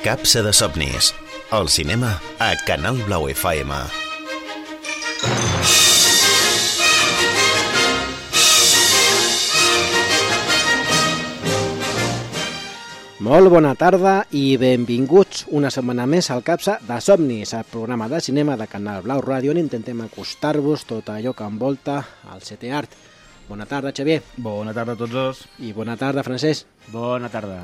Capsa de somnis. El cinema a Canal Blau FM. Molt bona tarda i benvinguts una setmana més al Capsa de somnis, el programa de cinema de Canal Blau Ràdio, on intentem acostar-vos tot allò que envolta el setè art. Bona tarda, Xavier. Bona tarda a tots dos. I bona tarda, Francesc. Bona tarda.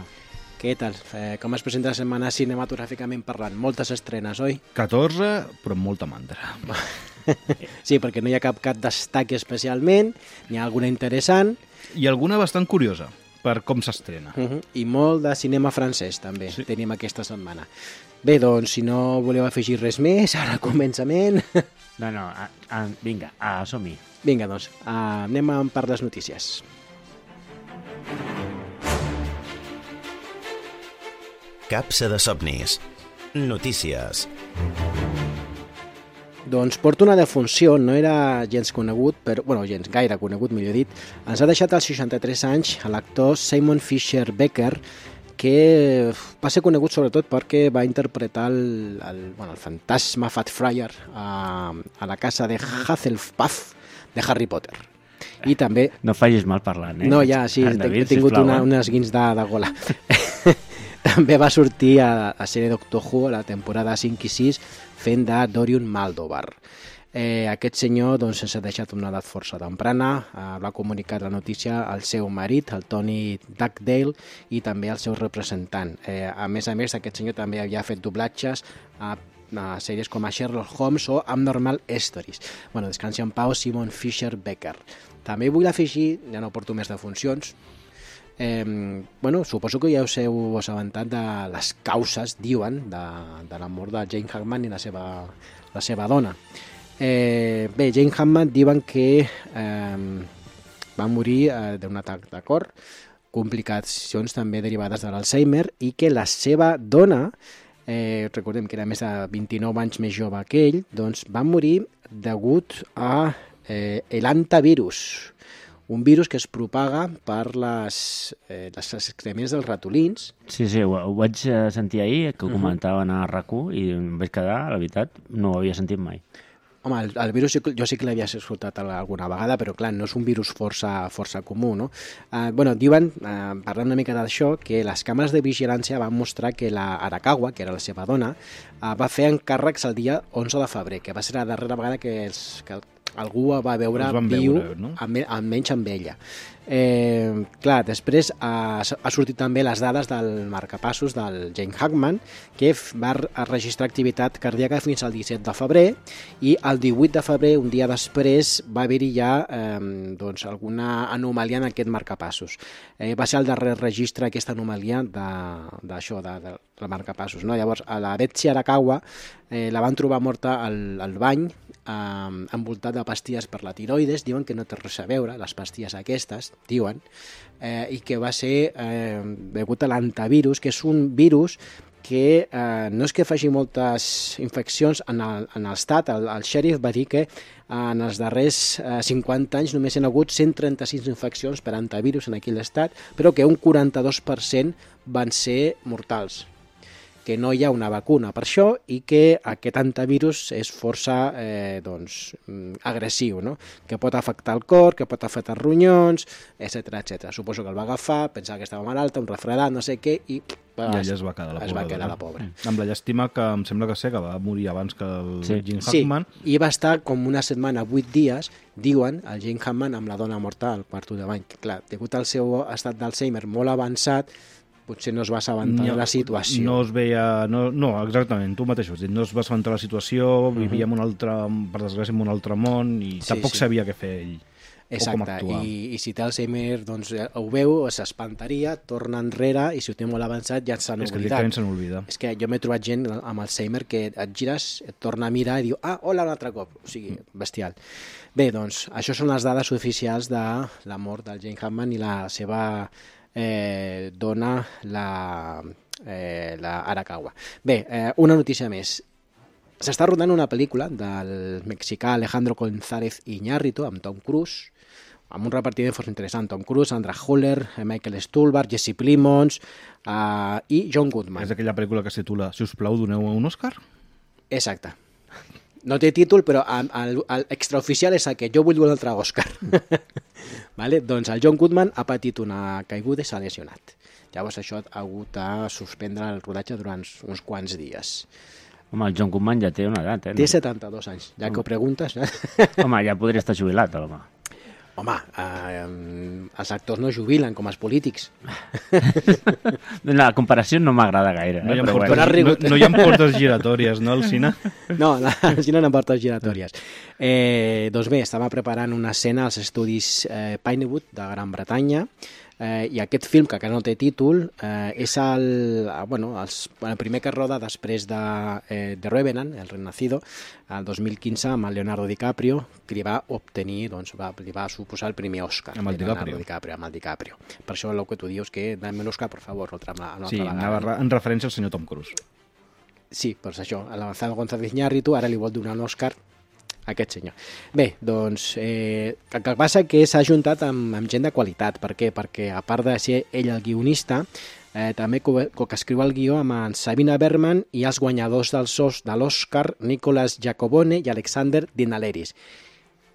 Què tal? Com es presenta la setmana cinematogràficament parlant? Moltes estrenes, oi? 14, però amb molta mandra. Sí, perquè no hi ha cap que destaqui especialment, n'hi ha alguna interessant. I alguna bastant curiosa, per com s'estrena. I molt de cinema francès, també, sí. Tenim aquesta setmana. Bé, doncs, si no voleu afegir res més, ara al començament... No, vinga, som-hi. Vinga, doncs, anem per les notícies. Capsa de somnis. Notícies. Doncs porta una defunció, no era gens conegut, gens gaire conegut, millor dit. Ens ha deixat als 63 anys l'actor Simon Fisher Becker, que va ser conegut sobretot perquè va interpretar el fantasma Fat Friar a la casa de Hufflepuff de Harry Potter. I també... No facis mal parlant, eh? No, ja, sí, he tingut unes guins de gola. També va sortir a la sèrie Doctor Who a la temporada 5 i 6 fent de Dorian Maldovar. Aquest senyor doncs, s'ha deixat una edat força temprana, va comunicar la notícia al seu marit, el Tony Dugdale, i també al seu representant. A més, aquest senyor també havia fet doblatges a sèries com a Sherlock Holmes o Abnormal Stories. Descansi en pau, Simon Fisher Becker. També vull afegir, ja no porto més defuncions, suposo que ja us heu assabentat de les causes, diuen, de la mort de Jane Hackman i la seva dona. Jane Hackman diuen que va morir d'un atac de cor, complicacions també derivades de l'Alzheimer, i que la seva dona, recordem que era més de 29 anys més jove que ell, doncs va morir degut a l'hantavirus, un virus que es propaga per les excrements dels ratolins. Sí, ho vaig sentir ahir, que ho comentaven a RAC1, i em vaig quedar, la veritat, no ho havia sentit mai. Home, el virus jo sí que l'havia escoltat alguna vegada, però clar, no és un virus força comú, no? Diuen, parlant una mica d'això, que les càmeres de vigilància van mostrar que la Arakawa, que era la seva dona, va fer encàrrecs el dia 11 de febrer, que va ser la darrera vegada que algú va veure viu, no? Almenys amb ella. Després ha sortit també les dades del marcapassos del Jane Hackman, que va registrar activitat cardíaca fins al 17 de febrer, i el 18 de febrer, un dia després, va haver-hi ja alguna anomalia en aquest marcapassos. Va ser el darrer registre aquesta anomalia d'això, del marcapassos, no? Llavors, a la Betsy Arakawa la van trobar morta al bany, envoltat de pastilles per la tiroides. Diuen que no té res a veure, les pastilles aquestes, diuen, i que va ser degut a l'hantavirus, que és un virus que no és que faci moltes infeccions en l'estat. El xèrif va dir que en els darrers 50 anys només hi ha hagut 136 infeccions per hantavirus en aquell estat, però que un 42% van ser mortals, que no hi ha una vacuna per això i que aquest hantavirus és força agressiu, no? Que pot afectar el cor, que pot afectar ronyons, etc. Suposo que el va agafar, pensava que estava malalta, un refredat, no sé què, i ella es va quedar la pobra. Amb la llàstima que em sembla que va morir abans que el Jane Hackman. Sí, i va estar com una setmana, 8 dies, diuen, el Jane Hackman amb la dona morta al quarto de bany. Clar, degut al seu estat d'Alzheimer molt avançat, potser no es va assabentar de la situació. No es veia... No, exactament, tu mateix ho has dit. No es va assabentar de la situació, vivia per desgràcia, en un altre món, i tampoc sabia què fer ell. Exacte, i si té Alzheimer, doncs ho veu, s'espantaria, torna enrere, i si ho té molt avançat ja s'han oblidat. És que directament se n'oblida. És que jo m'he trobat gent amb Alzheimer que et gires, et torna a mirar i diu, hola, un altre cop. O sigui, bestial. Bé, doncs, això són les dades oficials de la mort del Jane Hackman i la seva dona, la Arakawa. Bé, una notícia més. S'està rodant una pel·lícula del mexicà Alejandro González Iñárritu amb Tom Cruise, amb un repartiment força interessant. Tom Cruise, Sandra Hüller, Michael Stuhlbarg, Jesse Plimons i John Goodman. És aquella pel·lícula que es titula Si us plau, doneu un Òscar? Exacte. No té títol, però l'extraoficial és aquest, jo vull un altre Òscar. Vale? Doncs el John Goodman ha patit una caiguda i s'ha lesionat. Llavors això ha hagut de suspendre el rodatge durant uns quants dies. Home, el John Goodman ja té una edat, Té 72 anys, ja que ho preguntes. Home, ja podria estar jubilat, l'home. Home, els actors no jubilen com els polítics. La comparació no m'agrada gaire. No hi ha però portes, bueno. no hi ha portes giratòries, no, al cine? No, al cine no portes giratòries. Doncs bé, estava preparant una escena als estudis Pinewood de Gran Bretanya, i aquest film, que no té títol, és el primer que roda després de Revenant, El Renacido, el 2015, amb el Leonardo DiCaprio, que li va obtenir, li va suposar el primer Òscar. Amb el DiCaprio. Per això el que tu dius, que dame l'Òscar, per favor, sí, anava en referència al senyor Tom Cruise. Sí, doncs això, a l'Avanzado González Iñárritu ara li vol donar un Òscar a aquest senyor. Bé, doncs, el que passa que s'ha ajuntat amb gent de qualitat. Per què? Perquè, a part de ser ell el guionista, també co-escriu el guió amb en Sabina Berman i els guanyadors de l'Òscar, Nicolas Jacobone i Alexander Dinaleris.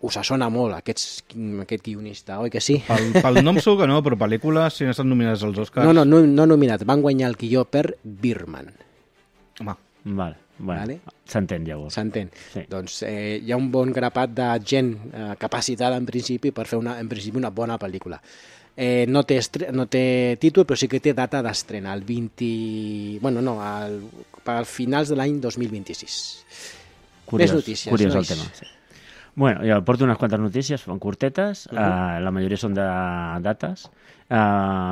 Us sona molt, aquest guionista, oi que sí? Pel nom segur que no, però pel·lícules, si no estan nominades als Oscars... No nominats, van guanyar el guió per Birdman. Home. Vale. Bueno, vale. S'entén, llavors. S'entén. Sí. Doncs hi ha un bon grapat de gent capacitada, en principi, per fer una bona pel·lícula. No té títol, però sí que té data d'estrena, el 20... per finals de l'any 2026. Més notícies. Curiós nois. el tema, sí. Bueno, jo porto unes quantes notícies, són curtetes, la majoria són de dates.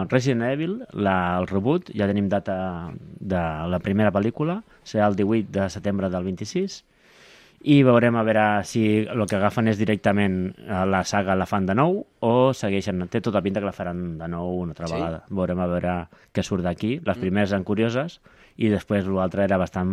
Resident Evil, el reboot, ja tenim data de la primera pel·lícula, serà el 18 de setembre del 26, i veurem a veure si el que agafen és directament la saga la fan de nou o segueixen, té tota pinta que la faran de nou una altra vegada. Veurem a veure què surt d'aquí. Les primeres eren curioses i després l'altre era bastant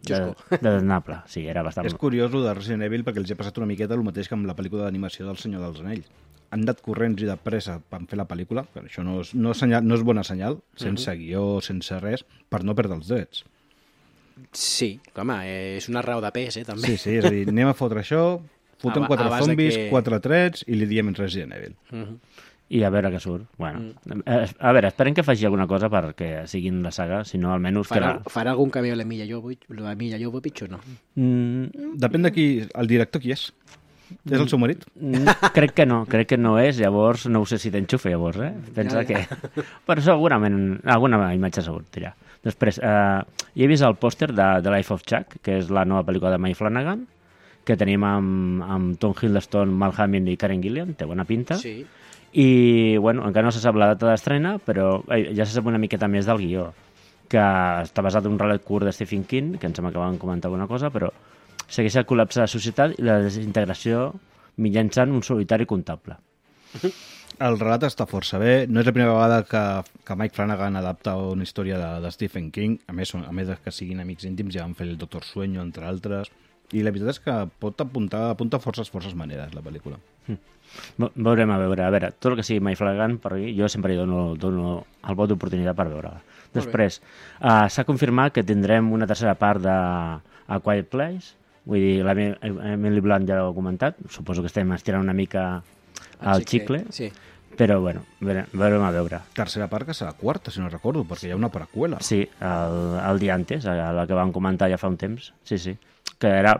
desnable. Sí, era bastant... És curiós el de Resident Evil perquè els ha passat una miqueta el mateix que amb la pel·lícula d'animació del Senyor dels Anells. Han anat corrents i de pressa per fer la pel·lícula, però això no és bona senyal, sense guió, sense res, per no perdre els drets. Sí, home, és una raó de pes, també. Sí, és a dir, anem a fotre això, fotem 4 zombis, 4 trets i li diem Resident Evil. I a veure què surt. Bueno, a veure, esperem que faci alguna cosa perquè siguin la saga, si no almenys... Farà algun cameo a l'Emilla Jovovich o no? Depèn de qui, el director qui és. És el seu marit? Crec que no és, llavors no ho sé si t'enxufa llavors, Pensa que... Però segurament alguna imatge segur dirà. Després, he vist el pòster de The Life of Chuck, que és la nova pel·lícula de Mike Flanagan, que tenim amb Tom Hiddleston, Mark Hamill i Karen Gillan, té bona pinta. Sí. I, bueno, encara no se sap la data d'estrena, però ja se sap una miqueta més del guió, que està basat en un relat curt de Stephen King, que em sembla que van comentar alguna cosa, però segueix el col·lapse de la societat i la desintegració mitjançant un solitari comptable. El relat està força bé. No és la primera vegada que Mike Flanagan adapta una història de Stephen King. A més que siguin amics íntims, ja van fer el Doctor Sueño, entre altres. I la veritat és que apunta forces maneres, la pel·lícula. Veurem a veure. Tot el que sigui Mike Flanagan, per mi, jo sempre hi dono el vot d'oportunitat per veure-la. Després, s'ha confirmat que tindrem una tercera part de A Quiet Place. Vull dir, l'Emily Blunt ja l'ho comentat, suposo que estem estirant una mica el xicle, sí. Però bueno, veurem a veure. Tercera part que serà quarta, si no recordo, perquè hi ha una preqüela. Sí, el dia antes, la que vam comentar ja fa un temps, sí, que era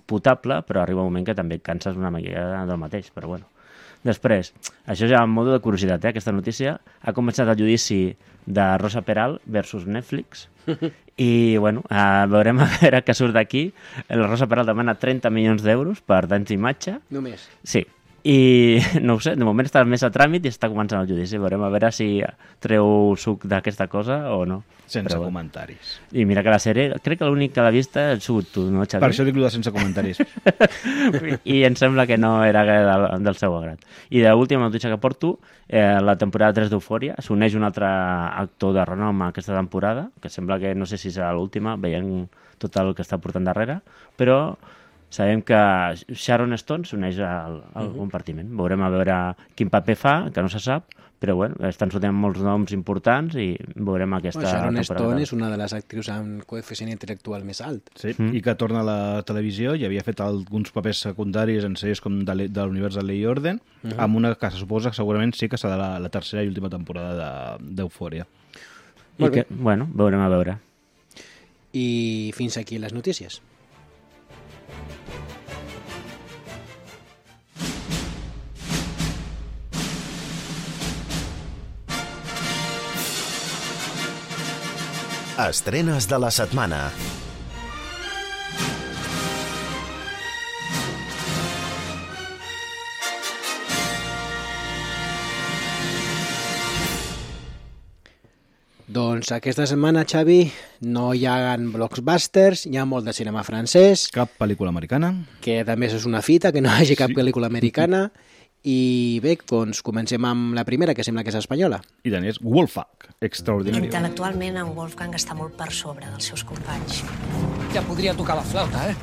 potable, però arriba un moment que també et canses una mica del mateix, però bueno. Després, això ja en modo de curiositat, aquesta notícia, ha començat el judici de Rosa Peral versus Netflix, i bueno, veurem a veure què surt d'aquí. La Rosa Peral demana 30 milions d'euros per danys d'imatge. Només? Sí. I no ho sé, de moment està més a tràmit i està començant el judici. Veurem a veure si treu suc d'aquesta cosa o no. Sense comentaris. I mira que la sèrie, crec que l'únic que l'ha vista ha sigut tu, no, Xavi? Per això dic de sense comentaris. I em sembla que no era del seu agrat. I l'última notícia que porto, la temporada 3 d'Eufòria, s'uneix un altre actor de renom a aquesta temporada, que sembla que no sé si serà l'última, veient tot el que està portant darrere, però Sabem que Sharon Stone s'uneix al compartiment. Veurem a veure quin paper fa, que no se sap, però bueno, estan sortint molts noms importants i veurem aquesta Sharon temporada. Stone és una de les actrius amb coeficient intel·lectual més alt. Sí, i que torna a la televisió i havia fet alguns papers secundaris en sèries com de l'univers de Lei i Orden, amb una que se suposa que segurament sí que serà la tercera i última temporada d'Eufòria. I que, bueno, veurem a veure. I fins aquí les notícies. Estrenes de la setmana. Doncs aquesta setmana, Xavi, no hi ha blockbusters, hi ha molt de cinema francès, Cap pel·lícula americana. que també és una fita, que no hi hagi cap pel·lícula americana. I bé, doncs comencem amb la primera, que sembla que és espanyola. I tant, és Wolfgang, extraordinari. Intel·lectualment, en Wolfgang està molt per sobre dels seus companys. Ja podria tocar la flauta, eh?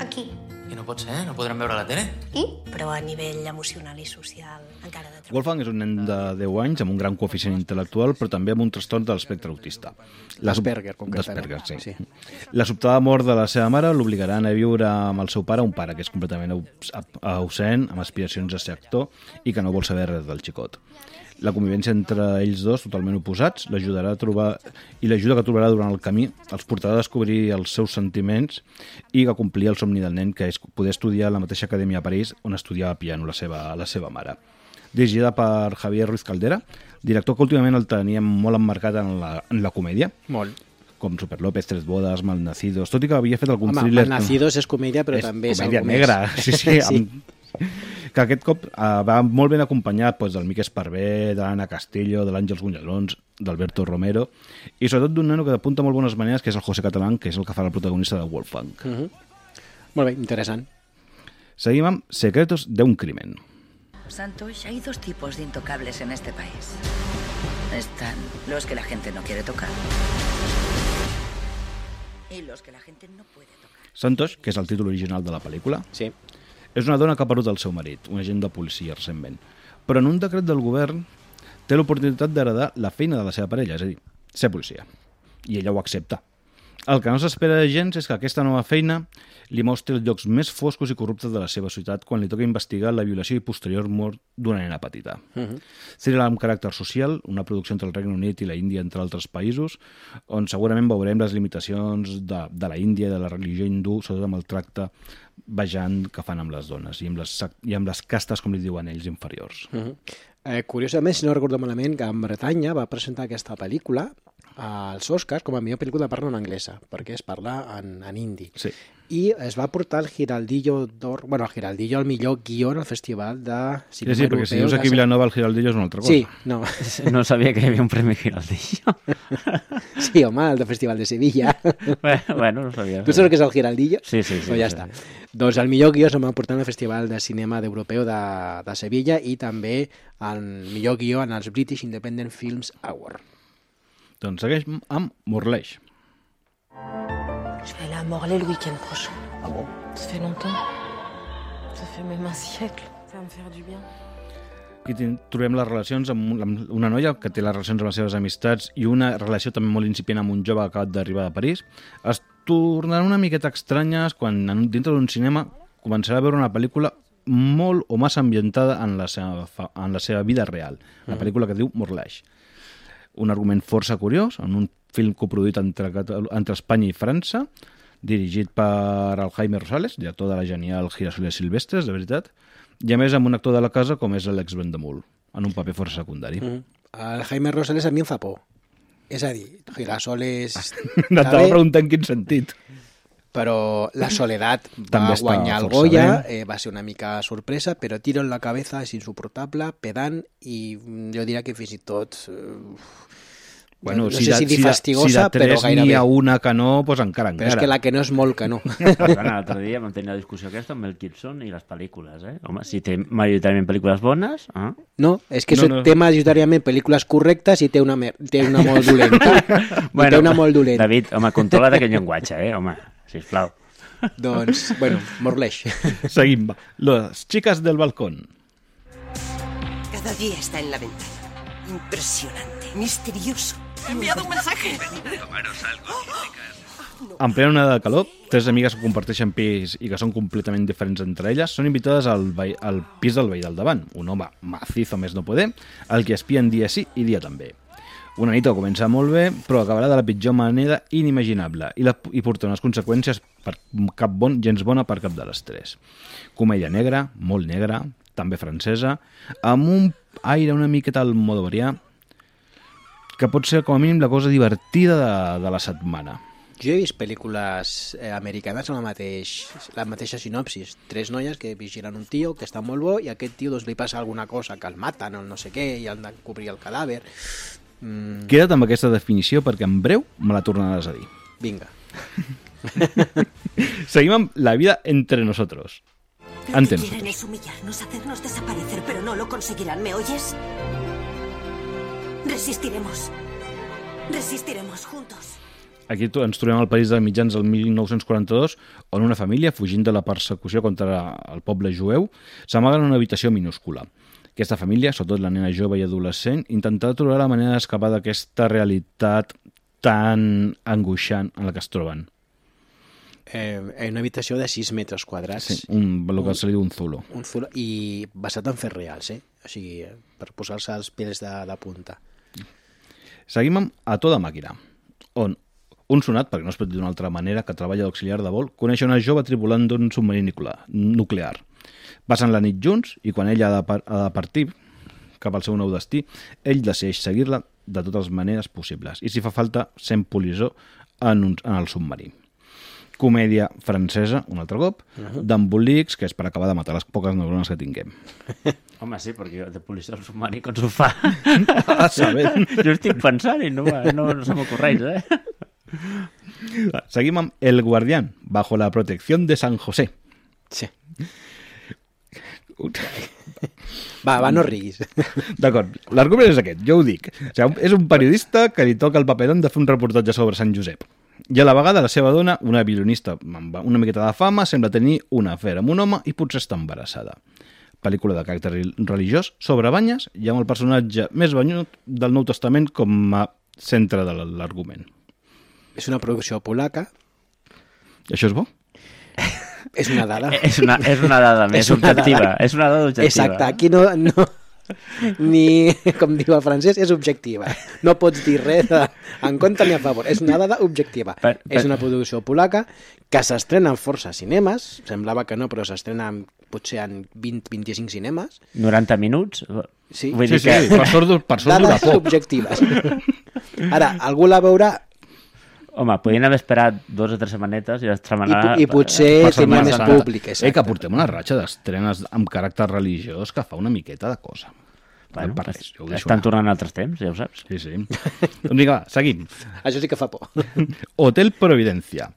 Aquí. I no pot ser, no podrem veure la tele? I? Però a nivell emocional i social encara de treballar. Wolfgang és un nen de 10 anys amb un gran coeficient intel·lectual, però també amb un trastorn de l'espectre autista. L'Asperger, concretament. D'Asperger, sí. La sobtada mort de la seva mare l'obligarà a anar a viure amb el seu pare, un pare que és completament ausent, amb aspiracions a ser actor i que no vol saber res del xicot. La convivència entre ells dos, totalment oposats, l'ajudarà a trobar i l'ajuda que trobarà durant el camí els portarà a descobrir els seus sentiments i a complir el somni del nen, que és poder estudiar a la mateixa acadèmia a París on estudiava piano la seva mare. Dirigida per Javier Ruiz Caldera, director que últimament el teníem molt emmarcat en la comèdia. Molt. Com Super López, Tres bodes, Malnacidos, tot i que havia fet algun Home, thriller... Malnacidos és comèdia, però també és comèdia algo negra, més. sí. Que aquest cop va molt ben acompanyat del Miquel Esparvé, de l'Anna Castillo, de l'Àngels Gunyalons, d'Alberto Romero, i sobretot d'un nano que apunta molt bones maneres, que és el José Catalán, que és el que farà el protagonista de Wolfgang. Molt bé, interessant. Seguim amb Secretos de un crimen. Santos, hay dos tipos de intocables en este país. Están los que la gente no quiere tocar y los que la gente no puede tocar. Santos, que és el títol original de la pel·lícula, Sí. és una dona que ha perdut el seu marit, un agent de policia recentment. Però en un decret del govern té l'oportunitat d'heredar la feina de la seva parella, és a dir, ser policia. I ella ho accepta. El que no s'espera gens és que aquesta nova feina li mostri els llocs més foscos i corruptes de la seva ciutat quan li toca investigar la violació i posterior mort d'una nena petita. Thriller amb caràcter social, una producció entre el Regne Unit i la Índia, entre altres països, on segurament veurem les limitacions de la Índia i de la religió hindú, sobretot amb el tracte vejant que fan amb les dones i amb les castes, com li diuen ells, inferiors. Curiosament, si no recordo malament, Gran Bretanya va presentar aquesta pel·lícula als Oscars com a millor pel·lícula de parla no anglesa, perquè es parla en hindi. Sí. I es va portar el Giraldillo d'Or, bueno, el Giraldillo al millor guió al Festival de Cinema Sí, perquè si dius aquí Vilanova el Giraldillo és una altra cosa. Sí, no. No sabia que hi havia un premi Giraldillo. Sí, home, el del Festival de Sevilla. Bueno, no sabia. Tu saps què és el Giraldillo? Sí. Doncs ja està. Doncs el millor guió se'm va portar al Festival de Cinema d'Europeu de Sevilla i també el millor guió en els British Independent Films Award. Doncs segueix amb Morleix. Je vais aller à Morlaix le week-end prochain. Ah bon? Ça fait longtemps. Ça fait même un siècle. Ça va me faire du bien. Aquí trobem les relacions amb una noia que té les relacions amb les seves amistats i una relació també molt incipient amb un jove que ha acabat d'arribar de París. Es tornaran una miqueta estranyes quan dintre d'un cinema començarà a veure una pel·lícula molt o massa ambientada en la seva vida real. Una pel·lícula que diu Morleix. Un argument força curiós, en un film coproduït entre Espanya i França, dirigit per el Jaime Rosales, director de la genial Girasoles Silvestres, de veritat, i a més amb un actor de la casa com és l'Alex Vendemul, en un paper força secundari. El Jaime Rosales a mi em fa por. És a dir, Girasoles... T'anava a preguntar en quin sentit. Però La Soledad També va està guanyar el força Goya, bé. va ser una mica sorpresa, però Tiro en la cabeza és insuportable, pedant, i jo diria que fins i tot... Bueno, no sé si dir fastigosa, si de però tres gairebé. n'hi ha una que no, doncs encara. Però és que la que no és molt que no. L'altre dia vam tenir la discussió aquesta amb Mel Gibson i les pel·lícules, eh? Home, si té majoritàriament pel·lícules bones... No, és que No. té majoritàriament pel·lícules correctes i té una molt dolenta. Bueno, té una molt dolenta. David, home, controla't aquest llenguatge, home, sisplau. Doncs, bueno, Morleix. Seguim, va. Las chicas del balcón. Cada día está en la ventana. Impresionante, misterioso. ¡He enviado un mensaje! Tomaros algo, chicas. En plena onada de calor, 3 amigues que comparteixen pis i que són completament diferents entre elles són invitades al pis del veí del davant, un home macizo més no poder, el que espien dia sí i dia també. Una nit que comença molt bé, però acabarà de la pitjor manera inimaginable i porta unes conseqüències gens bona per cap de les 3. Comèdia negra, molt negra, també francesa, amb un aire una miqueta al Almodóvar, que pot ser com a mínim la cosa divertida de la setmana. Jo he vist pel·lícules americanes amb la mateixa sinopsis. 3 noies que vigilen un tio que està molt bo i a aquest tio doncs, li passa alguna cosa, que el maten o no sé què i han de cobrir el cadàver. Queda't amb aquesta definició perquè en breu me la tornaràs a dir. Vinga. Seguim amb La vida entre nosotros. Lo que quieren es humillarnos, hacernos desaparecer, pero no lo conseguirán, ¿me oyes? Resistiremos. Resistiremos juntos. Aquí ens trobem al París de mitjans del 1942, on una família, fugint de la persecució contra el poble jueu, s'amaga en una habitació minúscula. Aquesta família, sobretot la nena jove i adolescent, intentarà trobar la manera d'escapar d'aquesta realitat tan angoixant en la que es troben. Una habitació de 6 metres quadrats. Sí, el que se li diu un zulo. Un zulo, i basat en fets reals, O sigui, per posar-se els pèls de punta. Seguim amb A tota màquina, on un sonat, perquè no es pot dir d'una altra manera, que treballa d'auxiliar de vol, coneix una jove tripulant d'un submarí nuclear. Passen la nit junts i quan ella ha de partir cap al seu nou destí, ell decideix seguir-la de totes les maneres possibles i si fa falta sent polissó en el submarí. Comèdia francesa, un altre cop, d'embolics, que és per acabar de matar les poques neurones que tinguem. Home, sí, perquè de policia al submarí com s'ho fa? Jo estic pensant i no se m'ocorreix, Seguim amb El guardián, bajo la protección de San José. Sí. Va, no riguis. D'acord, l'argument és aquest, jo ho dic. O sigui, és un periodista que li toca el paperón de fer un reportatge sobre Sant Josep. I a la vegada la seva dona, una violinista amb una miqueta de fama, sembla tenir una afer amb un home i potser està embarassada. Pel·lícula de caràcter religiós sobre banyes i amb el personatge més banyut del Nou Testament com a centre de l'argument. És una producció polaca. Això és bo? És una dada. És una dada més objectiva. És una dada objectiva. Exacte, aquí no ni, com diu el francès, és objectiva. No pots dir res en contra ni a favor. És una dada objectiva. És una producció polaca que s'estrena en força cinemes. Semblava que no, però s'estrena potser en 20-25 cinemes. 90 minuts? Sí, vull dir que... Per sort dura dades objectives. Ara, algú la veurà. Home, podien haver esperat 2 o 3 setmanetes i estrenar... I potser tenia més públic. Que portem una ratxa d'estrenes amb caràcter religiós que fa una miqueta de cosa. Bueno, estan tornant altres temps, ja ho saps. Sí, sí. Doncs vinga, seguim. Això sí que fa por. Hotel Providencia.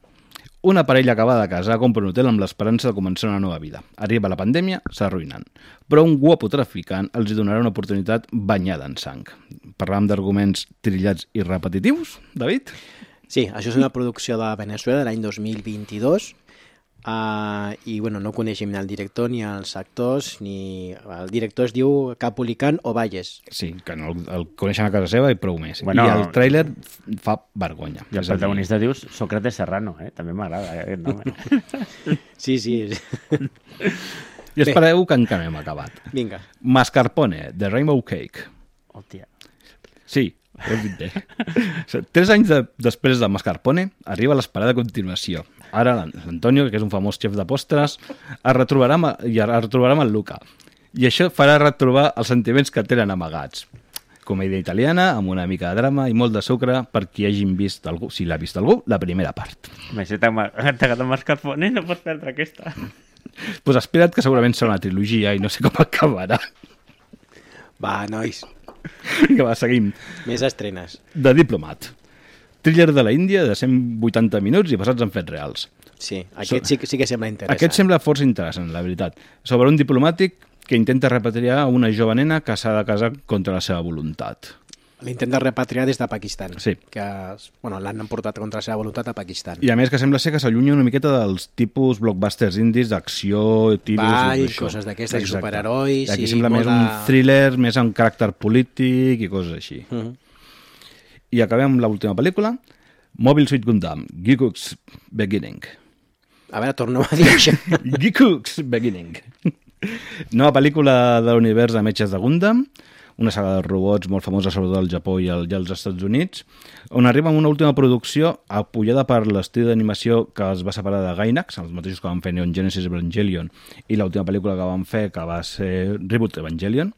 Una parella acabada de casar compra un hotel amb l'esperança de començar una nova vida. Arriba la pandèmia, s'arruïnen. Però un guapo traficant els donarà una oportunitat banyada en sang. Parlàvem d'arguments trillats i repetitius, David? Sí, això és una producció de Venezuela de l'any 2022 i bueno, no coneixem ni el director ni els actors, ni el director es diu Capulicán Ovalles. Sí, que no el coneixen a casa seva i prou més. Bueno, i el tràiler fa vergonya. I el protagonista dius Sócrates Serrano, també m'agrada aquest nom. Sí. I espereu que encara no hem acabat. Vinga. Mascarpone, The Rainbow Cake. Hòstia. Sí, ho he dit bé. 3 anys després de Mascarpone, arriba l'esperada continuació. Ara l'Antonio, que és un famós xef de postres, es retrobarà amb el Luca. I això farà retrobar els sentiments que tenen amagats. Comèdia italiana, amb una mica de drama i molt de sucre per qui hagin vist algú, si l'ha vist algú, la primera part. Si t'ha agradat Mascarpone, no pots perdre aquesta. Pues espera't que segurament serà una trilogia i no sé com acabarà. Va, nois. Que va, seguim. Més estrenes. The Diplomat. Thriller de la Índia de 180 minuts i basats en fets reals. Sí, aquest sí que sembla interessant. Aquest sembla força interessant, la veritat. Sobre un diplomàtic que intenta repatriar una jove nena que s'ha de casar contra la seva voluntat. L'intent de repatriar des de Pakistan. Sí. Que l'han emportat contra la seva voluntat a Pakistan. I a més que sembla ser que s'allunya una miqueta dels tipus blockbusters indis d'acció, tiros... Balls, coses d'aquestes, superherois... Aquí sembla més un thriller, més amb caràcter polític i coses així. I acabem amb l'última pel·lícula, Mobile Suit Gundam, Giku's Beginning. A veure, tornem a dir això. Giku's Beginning. Nova pel·lícula de l'univers de metges de Gundam, una saga de robots molt famosa sobretot al Japó i als Estats Units, on arriba amb una última producció apoyada per l'estudi d'animació que es va separar de Gainax, els mateixos que van fer Neon Genesis Evangelion i l'última pel·lícula que van fer, que va ser Reboot Evangelion.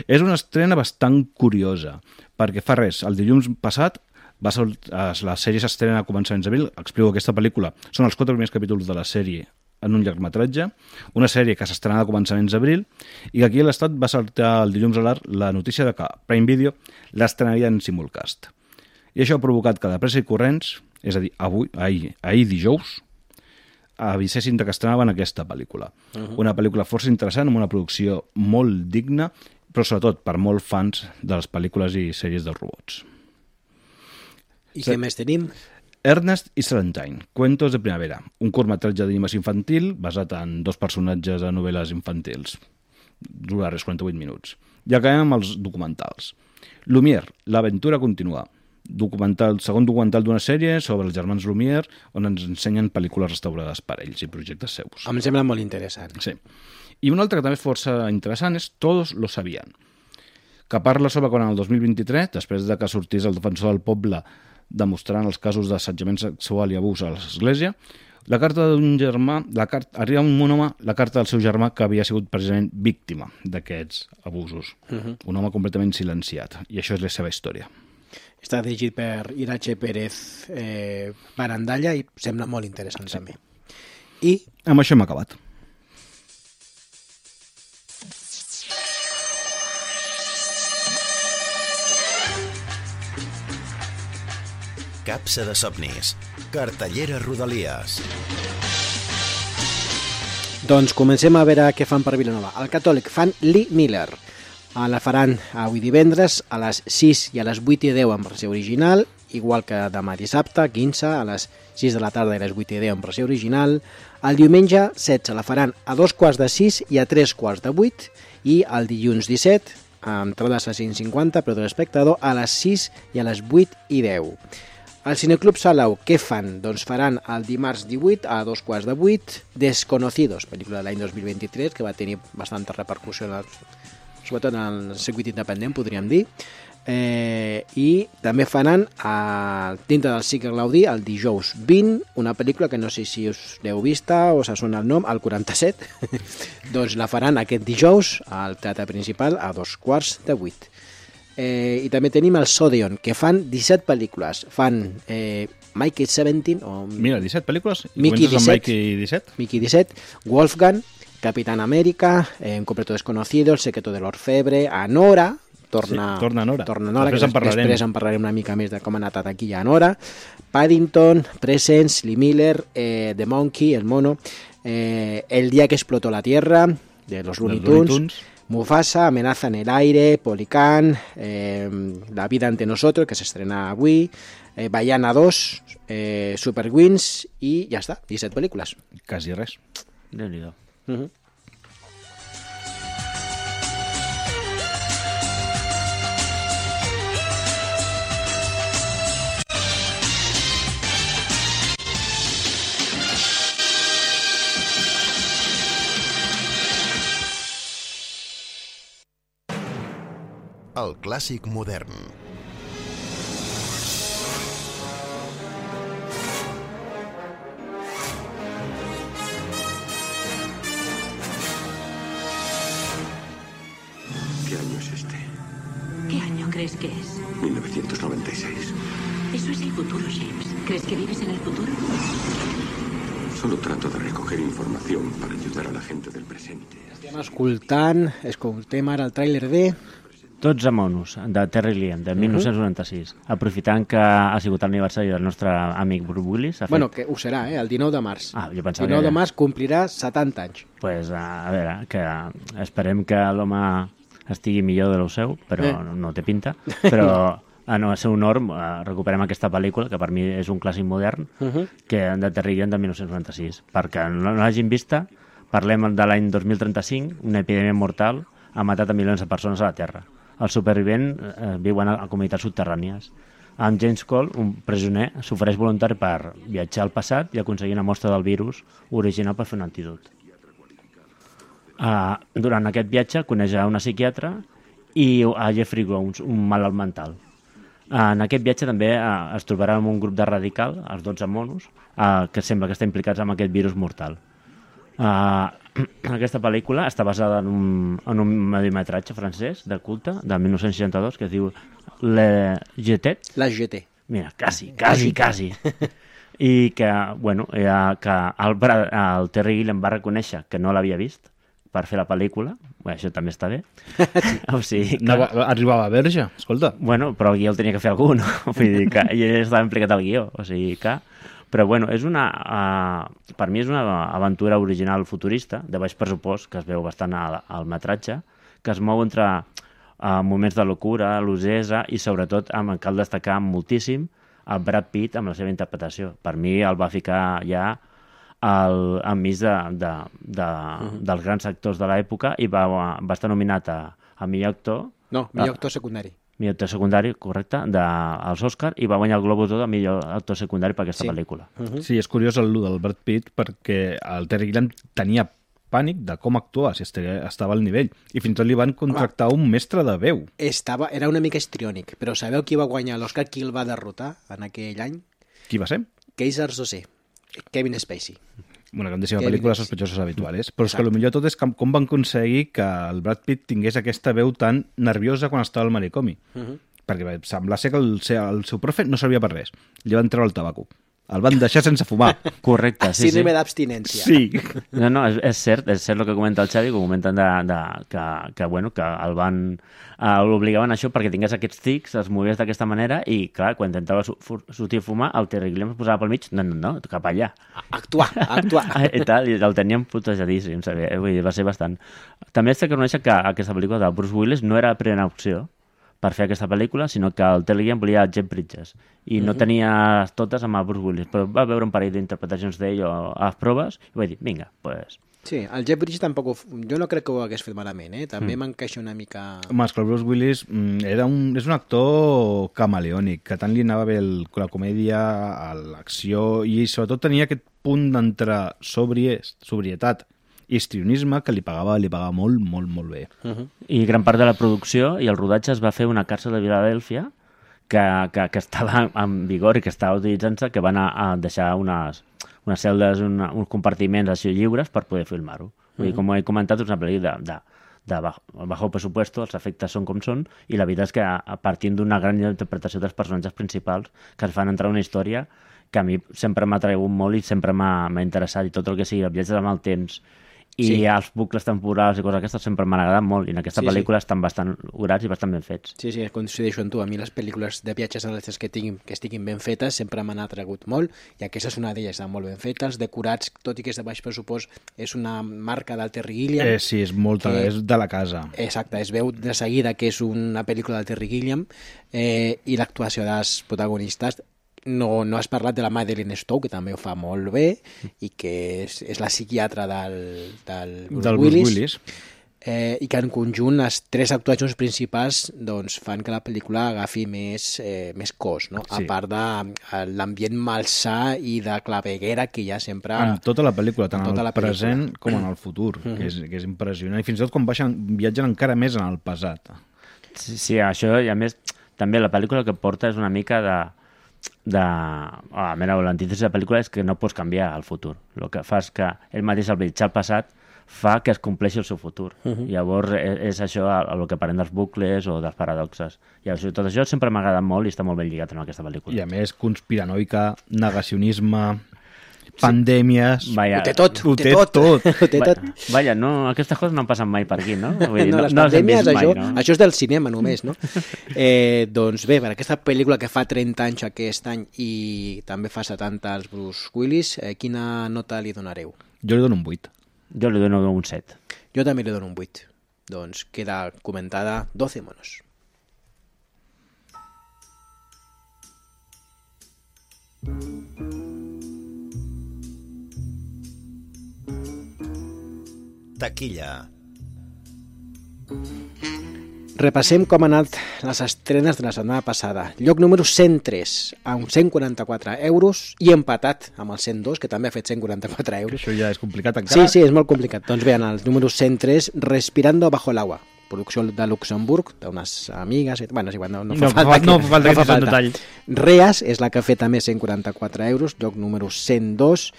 És una estrena bastant curiosa, perquè fa res, el dilluns passat la sèrie s'estrena a començaments d'abril, explico aquesta pel·lícula, són els 4 primers capítols de la sèrie en un llargmetratge, una sèrie que s'estrenarà a començaments d'abril i que aquí a l'Estat va saltar el dilluns a la notícia de que Prime Video l'estrenaria en simulcast. I això ha provocat que de pressa i corrents, és a dir, ahir dijous, avisessin que estrenaven aquesta pel·lícula. Una pel·lícula força interessant, amb una producció molt digna, però sobretot per molts fans de les pel·lícules i sèries dels robots. I què més tenim? Ernest i Celestine, Cuentos de Primavera, un curtmetratge d'animació infantil basat en 2 personatges de novel·les infantils. Dura res 48 minuts. I acabem amb els documentals. Lumière, l'aventura continua. Segon documental d'una sèrie sobre els germans Lumière, on ens ensenyen pel·lícules restaurades per ells i projectes seus. Em sembla molt interessant. Sí. I un altre que també és força interessant és Todos lo sabían, que parla sobre quan el 2023, després de que sortís el defensor del poble demostrant els casos d'assetjament sexual i abús a l'església, la carta d'un germà, arriba un home, la carta del seu germà que havia sigut precisament víctima d'aquests abusos. Un home completament silenciat, i això és la seva història. Està dirigit per Irache Pérez Barandalla i sembla molt interessant també. I amb això hem acabat. Capsa de somnis. Cartellera Rodalies. Doncs comencem a veure què fan per Vilanova. Al Catòlic fan Lee Miller. La faran avui divendres a les 6 i a les 8:10 en versió original, igual que demà dissabte, 15, a les 6 de la tarda i a les 8:10 en versió original. El diumenge 16 la faran a 2:45 i a 3:15 i el dilluns 17, amb entrades a 5,50 però de l'espectador, a les 6 i a les 8:10. Al Cineclub Salau, què fan? Doncs faran el dimarts 18 a 2:15 Desconocidos, pel·lícula de l'any 2023, que va tenir bastanta repercussió, sobretot en el circuit independent, podríem dir. I també faran dintre del cicle Gaudí el dijous 20, una pel·lícula que no sé si us l'heu vista o se sona el nom, el 47. Doncs la faran aquest dijous al Teatre Principal a 2:15. I també tenim el Sodeon, que fan 17 pel·lícules. Fan Mickey 17, o... Mira, 17 pel·lícules? Mickey 17. Mickey 17. Wolfgang, Capitán América, Un completo desconocido, El secreto de l'orfebre, Anora, torna Nora, que després en parlarem una mica més de com ha anat aquí a Nora, Paddington, Presence, Lee Miller, The Monkey, El mono, El día que explotó la Tierra, de los Looney Tunes, Mufasa, Amenaza en el aire, Policán, La vida ante nosotros, que s'estrena avui, Baiana 2, Super Wings, i ja està, 17 pel·lícules. Quasi res. Déu-n'hi-do. El clàssic modern. ¿Qué año es este? ¿Qué año crees que es? 1996. Eso es el futuro, James. ¿Crees que vives en el futuro? Solo trato de recoger información para ayudar a la gente del presente. Escoltem ara el tràiler de... Tots a monos, de Terry Gilliam, de 1996. Aprofitant que ha sigut l'aniversari del nostre amic Bruce Willis. Bueno, que ho serà, el 19 de març. Jo pensava el 19 de març complirà 70 anys. Pues, a veure, que esperem que l'home estigui millor de lo seu, però no té pinta, però no va ser un honor, recuperem aquesta pel·lícula, que per mi és un clàssic modern, que de Terry Gilliam de 1996. Perquè no l'hagin vista, parlem de l'any 2035, una epidèmia mortal ha matat a milions de persones a la Terra. Els supervivents viuen a comunitats subterrànies. Amb James Cole, un presoner, s'ofereix voluntari per viatjar al passat i aconseguir una mostra del virus original per fer un antídot. Durant aquest viatge coneix a una psiquiatra i a Jeffrey Jones, un malalt mental. En aquest viatge també es trobarà amb un grup de radical, els 12 monos, que sembla que estan implicats en aquest virus mortal. Aquesta pel·lícula està basada en un mediometratge francès de culte, de 1962, que es diu La Jetée. Mira, quasi. I que, bueno, que el Terry Gilliam va reconèixer que no l'havia vist per fer la pel·lícula. Bé, això també està bé. O sigui, que... Arribava verge, escolta. Bueno, però el guió el tenia que fer algú, no? Vull dir que ell estava implicat al guió, o sigui que... Però, bueno, és per mi és una aventura original futurista, de baix pressupost, que es veu bastant al metratge, que es mou entre moments de locura, l'usesa, i sobretot cal destacar moltíssim el Brad Pitt amb la seva interpretació. Per mi el va ficar ja enmig dels grans actors de l'època i va estar nominat a millor actor. No, millor actor secundari. Millor actor secundari, correcte, als Oscar, i va guanyar el Globus d'Or de millor actor secundari per aquesta pel·lícula. Sí, és curiós el del Brad Pitt perquè el Terry Gilliam tenia pànic de com actuava, si estava al nivell. I fins i tot li van contractar un mestre de veu. Era una mica histriònic, però sabeu qui va guanyar l'Oscar? Qui el va derrotar en aquell any? Qui va ser? Kaiser Sosé, Kevin Spacey. Una grandíssima pel·lícula, Sospechosos habituales. Però és que el millor de tot és com van aconseguir que el Brad Pitt tingués aquesta veu tan nerviosa quan estava al manicomi. Perquè sembla ser que el seu profe no servia per res. Li van treure el tabaco. El van deixar sense fumar. Correcte, sí. Síndrome d'abstinència. Sí. No, és cert el que comenta el Xavi, que comenten que el van... l'obligaven a això perquè tingués aquests tics, es movies d'aquesta manera i, clar, quan intentava sortir a fumar, el Terry Gilliam es posava pel mig, no, cap allà. Actuar. I tal, i el teníem putejadíssim, vull dir, va ser bastant... També has de reconèixer que aquesta pel·lícula de Bruce Willis no era la primera opció per fer aquesta pel·lícula, sinó que el Terry Gilliam volia Jeff Bridges i no tenia totes amb el Bruce Willis, però va veure un parell d'interpretacions d'ell a les proves i va dir, vinga, pues... Sí, el Jeff Bridges tampoc... Jo no crec que ho hagués fet malament, També m'encaixa una mica... Home, és que el Bruce Willis és un actor camaleònic, que tant li anava bé la comèdia, l'acció, i sobretot tenia aquest punt d'entre sobrietat i histrionisme que li pagava molt, molt, molt bé. I gran part de la producció i el rodatge es va fer una càrcel de Filadèlfia que estava en vigor i que estava utilitzant-se, que van a deixar unes celdes, uns compartiments així lliures per poder filmar-ho. Vull dir, com he comentat, és una pel·lícula de bajo presupuesto, els efectes són com són, i la veritat és que partint d'una gran interpretació dels personatges principals que es fan entrar una història que a mi sempre m'ha atragut molt i sempre m'ha interessat, i tot el que sigui el viatge amb el temps i els bucles temporals i coses aquestes sempre m'han agradat molt, i en aquesta pel·lícula estan bastant orats i bastant ben fets. Sí, coincideixo amb tu. A mi les pel·lícules de viatges en les que estiguin ben fetes sempre m'han atragut molt, i aquesta és una d'elles, estan molt ben fetes, decorats, tot i que és de baix pressupost, és una marca del Terry Gilliam. Sí, és de la casa. Exacte, es veu de seguida que és una pel·lícula del Terry Gilliam, i l'actuació dels protagonistes. No has parlat de la Madeleine Stowe, que també ho fa molt bé, i que és la psiquiatra del Bruce Willis. I que en conjunt les tres actuacions principals doncs, fan que la pel·lícula agafi més cos, no? A part de l'ambient malsà i de claveguera que hi ha sempre... En tota la pel·lícula, tant al present com en el futur, que és impressionant. I fins i tot quan viatgen encara més en el passat. Sí, això, i a més, també la pel·lícula que porta és una mica l'antítesis de la pel·lícula és que no pots canviar el futur. El que fa és que ell mateix, al viatjar al passat, fa que es compleixi el seu futur. Llavors és això el que parlem dels bucles o dels paradoxes. I tot això sempre m'ha agradat molt i està molt ben lligat en aquesta pel·lícula. I a més, conspiranoica, negacionisme, pandèmies... Ho té tot. Vaja, no, aquestes coses no han passat mai per aquí, no? Vull dir, les pandèmies, això és del cinema només, no? Doncs bé, per aquesta pel·lícula que fa 30 anys aquest any i també fa 70 als Bruce Willis, quina nota li donareu? Jo li dono un 8. Jo li dono un 7. Jo també li dono un 8. doncs queda comentada 12 monos. Taquilla. Repassem com han anat les estrenes de la setmana passada. Lloc número 103, amb 144 euros, i empatat amb el 102, que també ha fet 144 euros. Això ja és complicat encara. Sí, és molt complicat. Doncs bé, en el número 103, Respirando bajo el agua, producció de Luxemburg, d'unes amigues... Bueno, és igual, no fa falta que no detall. Reas és la que ha fet també 144 euros, lloc número 102.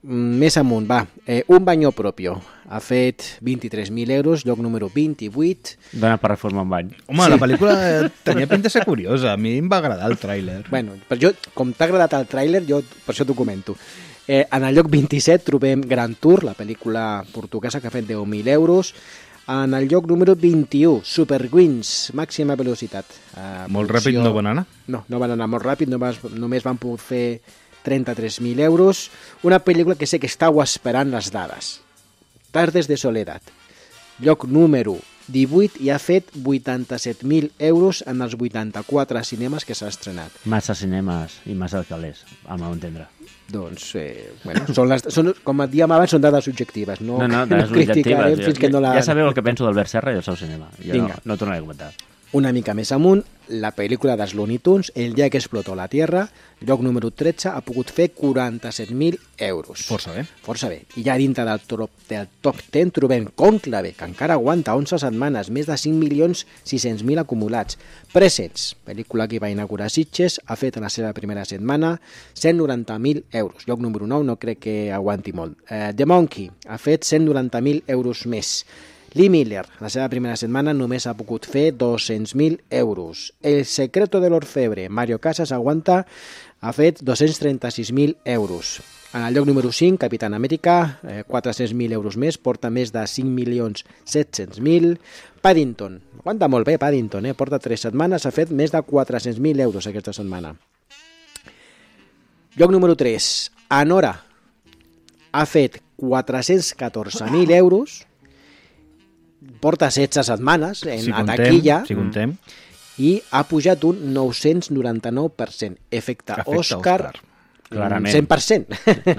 Més amunt, va, Un baño propio ha fet 23.000 euros, lloc número 28. Dona per reformar un bany. Home, la pel·lícula tenia pinta de ser curiosa, a mi em va agradar el tràiler. Bueno, però jo, com t'ha agradat el tràiler, jo per això t'ho comento. En el lloc 27 trobem Grand Tour, la pel·lícula portuguesa que ha fet 10.000 euros. En el lloc número 21, Super Wings, màxima velocitat. Molt ràpid no van anar? No van anar molt ràpid, només van poder fer 33.000 euros. Una pel·lícula que sé que estàu esperant les dades. Tardes de soledat. Lloc número 18 i ha fet 87.000 euros en els 84 cinemes que s'ha estrenat. Massa cinemes i massa calés, al meu entendre. Doncs, bueno, com et dèiem abans, són dades subjectives. No dades criticarem fins que no la... Ja sabeu el que penso d'Albert Serra i el seu cinema. Jo no tornaré a comentar. Una mica més amunt, la pel·lícula dels Looney Tunes, El día que explotó la Tierra, lloc número 13, ha pogut fer 47.000 euros. Força bé. Força bé. I ja dintre del top 10 trobem Cònclave, que encara aguanta 11 setmanes, més de 5.600.000 acumulats. Presents, pel·lícula que va inaugurar Sitges, ha fet en la seva primera setmana 190.000 euros. Lloc número 9, no crec que aguanti molt. The Monkey ha fet 190.000 euros més. Lee Miller, la seva primera setmana, només ha pogut fer 200.000 euros. El secreto de l'orfebre, Mario Casas aguanta, ha fet 236.000 euros. En el lloc número 5, Capitán Amèrica, 400.000 euros més, porta més de 5.700.000. Paddington, aguanta molt bé Paddington, porta 3 setmanes, ha fet més de 400.000 euros aquesta setmana. Lloc número 3, Anora, ha fet 414.000 euros, porta 16 setmanes a taquilla, i ha pujat un 999%. Efecte Òscar, clarament. 100%.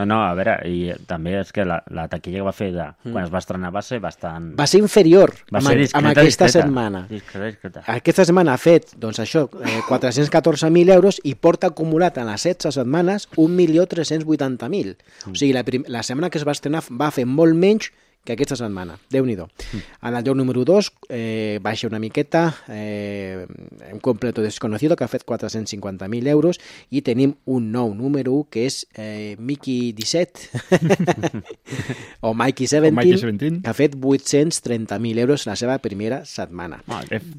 No, a veure, i també és que la taquilla que va fer quan es va estrenar va ser bastant... Va ser inferior amb aquesta setmana. Discreta. Aquesta setmana ha fet, doncs això, 414.000 euros i porta acumulat en les 16 setmanes 1.380.000. O sigui, la setmana que es va estrenar va fer molt menys que aquesta setmana. Déu-n'hi-do. En el lloc número 2 baixa una miqueta, un completo desconocido que ha fet 450.000 euros i tenim un nou número 1 que és Mickey 17 o Mikey 17 que ha fet 830.000 euros la seva primera setmana.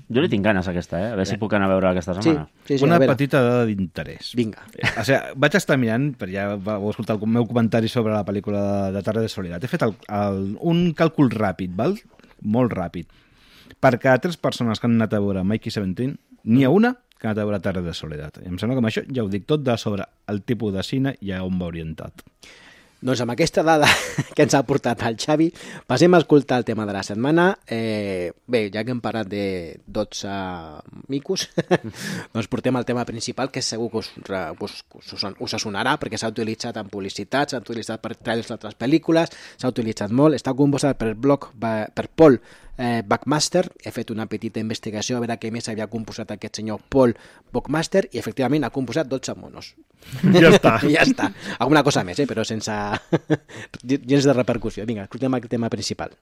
Jo li tinc ganes aquesta, a veure si puc anar a veure aquesta setmana. Sí, una petita dada d'interès. Vinga. O sigui, vaig estar mirant, però ja vau escoltar el meu comentari sobre la pel·lícula de Tardes de Soledat. He fet un càlcul ràpid, val? Molt ràpid. Per cada 3 persones que han anat a veure Mikey 17, n'hi ha una que ha anat a veure Tardes de Soledat. I em sembla que amb això ja ho dic tot de sobre el tipus de cine i a on va orientat. Doncs amb aquesta dada que ens ha portat el Xavi, passem a escoltar el tema de la setmana. Bé, ja que hem parlat de 12 micos, doncs portem el tema principal, que segur que us sonarà, perquè s'ha utilitzat en publicitat, s'ha utilitzat per trailers d'altres pel·lícules, s'ha utilitzat molt, està composat per Paul Buckmaster. He fet una petita investigació a veure què més havia composat aquest senyor Paul Buckmaster i efectivament ha composat 12 monos. Ja està. Ja està. Alguna cosa més, però sense gens de repercussió. Vinga, escoltem el tema principal.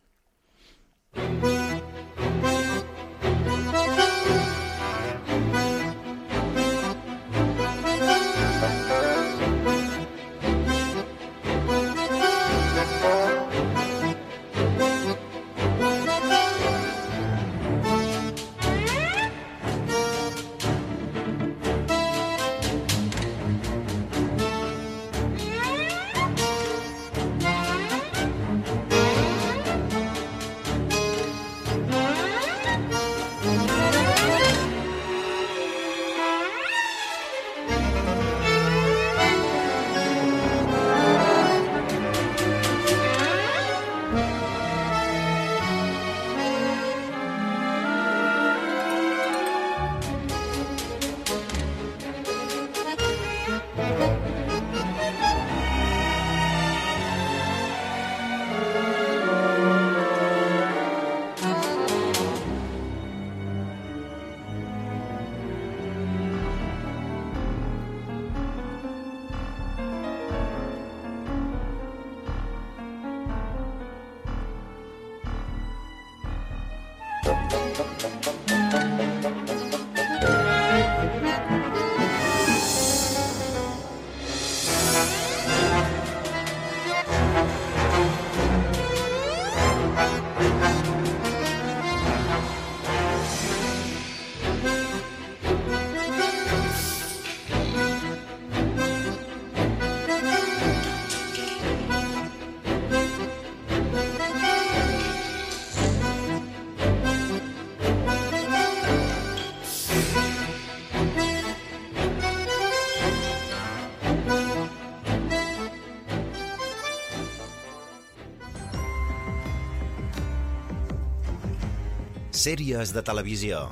Sèries de televisió.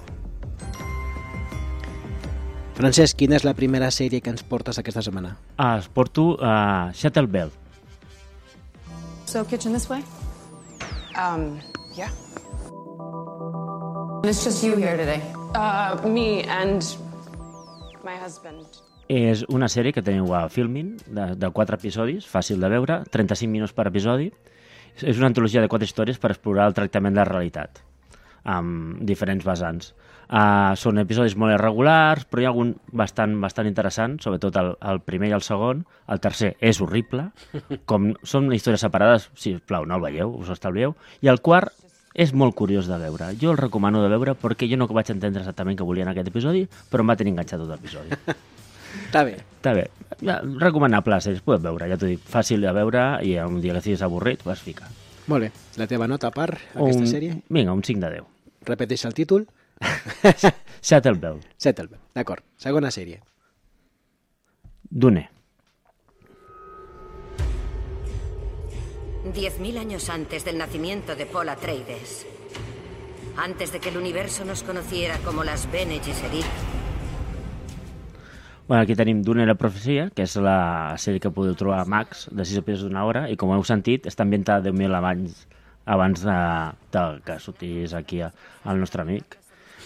Francesc, quina és la primera sèrie que ens portes aquesta setmana? Es porto Shuttle Bell. So, kitchen this way? Yeah. It's just you here today. Me and my husband. És una sèrie que teniu a Filmin, de 4 episodis, fàcil de veure, 35 minuts per episodi. És una antologia de 4 històries per explorar el tractament de la realitat, amb diferents vessants. Són episodis molt irregulars, però hi ha algun bastant interessant, sobretot el primer i el segon. El tercer és horrible. Com són històries separades, sisplau, no el veieu, us ho estalvieu. I el quart és molt curiós de veure. Jo el recomano de veure perquè jo no vaig entendre exactament què volia en aquest episodi, però em va tenir enganxat tot l'episodi. Està bé. Està bé. Recomanable, es podeu veure, ja t'ho dic. Fàcil de veure i un dia que estiguis avorrit, vas ficar. Molt bé. La teva nota per aquesta sèrie? Vinga, un 5 de 10. Repeteix el títol. Shuttle Bell. Shuttle Bell, d'acord. Segona sèrie. Dune. 10.000 años antes del nacimiento de Paul Atreides, antes de que el universo nos conociera como las Bene Gesserit. Bueno, aquí tenim Dune la profecia, que és la sèrie que podeu trobar a Max, de 6 episodis d'una hora, i com heu sentit, està ambientada 10.000 abans de que sortís aquí el nostre amic.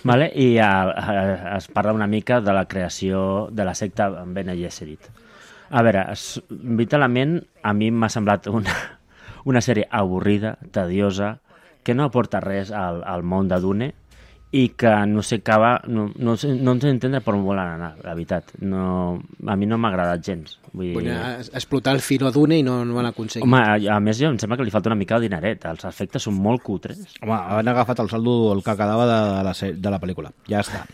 Vale? I es parla una mica de la creació de la secta Bene Gesserit. A veure, vitalment, a mi m'ha semblat una sèrie avorrida, tediosa, que no aporta res al món de Dune i que no sé entendre per on volen anar, la veritat. No, a mi no m'ha agradat gens. Vull dir... explotar el filo Dune i no ho han aconseguit. Home, a més, em sembla que li falta una mica de dineret. Els efectes són molt cutres. Home, han agafat el saldo, el que quedava de la pel·lícula. Ja està.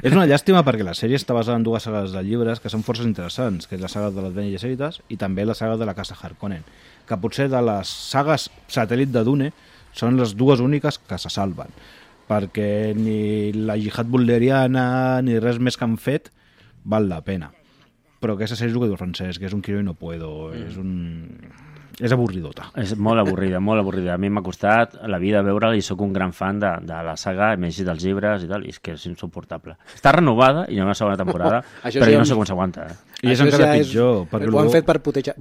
És una llàstima perquè la sèrie està basada en 2 sagues de llibres que són força interessants, que és la saga de les Bene Gesserites i també la saga de la Casa Harkonnen, que potser de les sagues satèl·lit de Dune són les 2 úniques que se salven, perquè ni la jihad bulderiana ni res més que han fet val la pena. Però aquesta sèrie és el que diu Francesc, que és un quiero i no puedo, és avorridota. És molt avorrida, molt avorrida. A mi m'ha costat la vida veure-la i sóc un gran fan de la saga, m'he llegit els llibres i tal, i és que és insuportable. Està renovada i hi ha una segona temporada, però jo no sé com s'aguanta. I és encara pitjor. Ho han fet per putejar...